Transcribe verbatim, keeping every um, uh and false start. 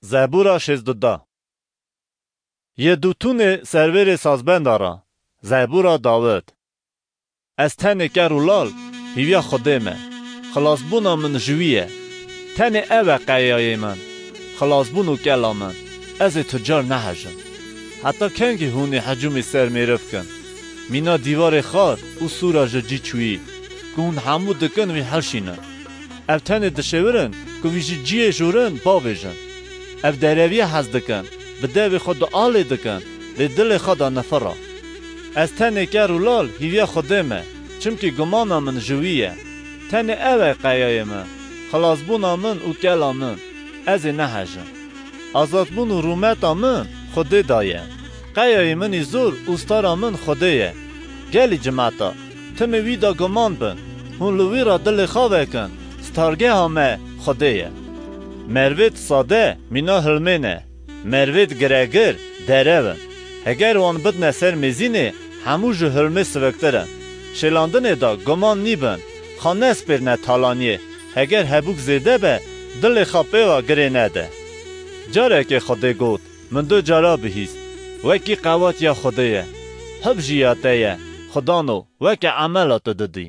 Zebûra şêzdû da. Yedûtûnê servêrê sazbenda ra. Zebûra Dawid. Ez tenê ker û lal hîviya Xwedê me. Xilasbûna min ji wî ye. Tenê ew e qeyayê min, xilasbûn û kela min. Ez ê tu car nehejim. Heta kengî hûn ê hecûmê ser mêriv kin? Mîna dîwarê xar û sûra ji cî çûyî, ku hûn hemû dikin wî hilşînin. Ev tenê dişêwirin ku wî ji ciyê jûrin bavêjin. Ev dereviyê hez dikin, bi devê xwe dualê dikin, lê dilê xwe de nifira. Ez tenê ker û lal hîviya Xwedê me, çimkî gumana min ji wî ye. Tenê ew e qeyayê min, xilasbûna min û kela min. Ez ê nehejim. Azadbûn û rûmeta min Xwedê da ye. Qeyayê min î zor û stara min Xwedê ye. Gelî cimeta, timê wî de guman bin, hûn li wî re dilê xwe vekin, stargeha me Xwedê ye. Mervêd sade mîna hilmê ne, mervêd giregir derev in. Heger wan bidine ser mêzînê, hemû ji hilmê siviktir in. Şêlandinê de guman nîbin, xwe nespêrine talaniyê, heger hebûk zêde be, dilê xwe pê ve girê nede. Carekê Xwedê got, min du cara bihîst, wekî qewatiya Xwedê ye, hib jî ya te ye, Xwedano, weke emela tu didî.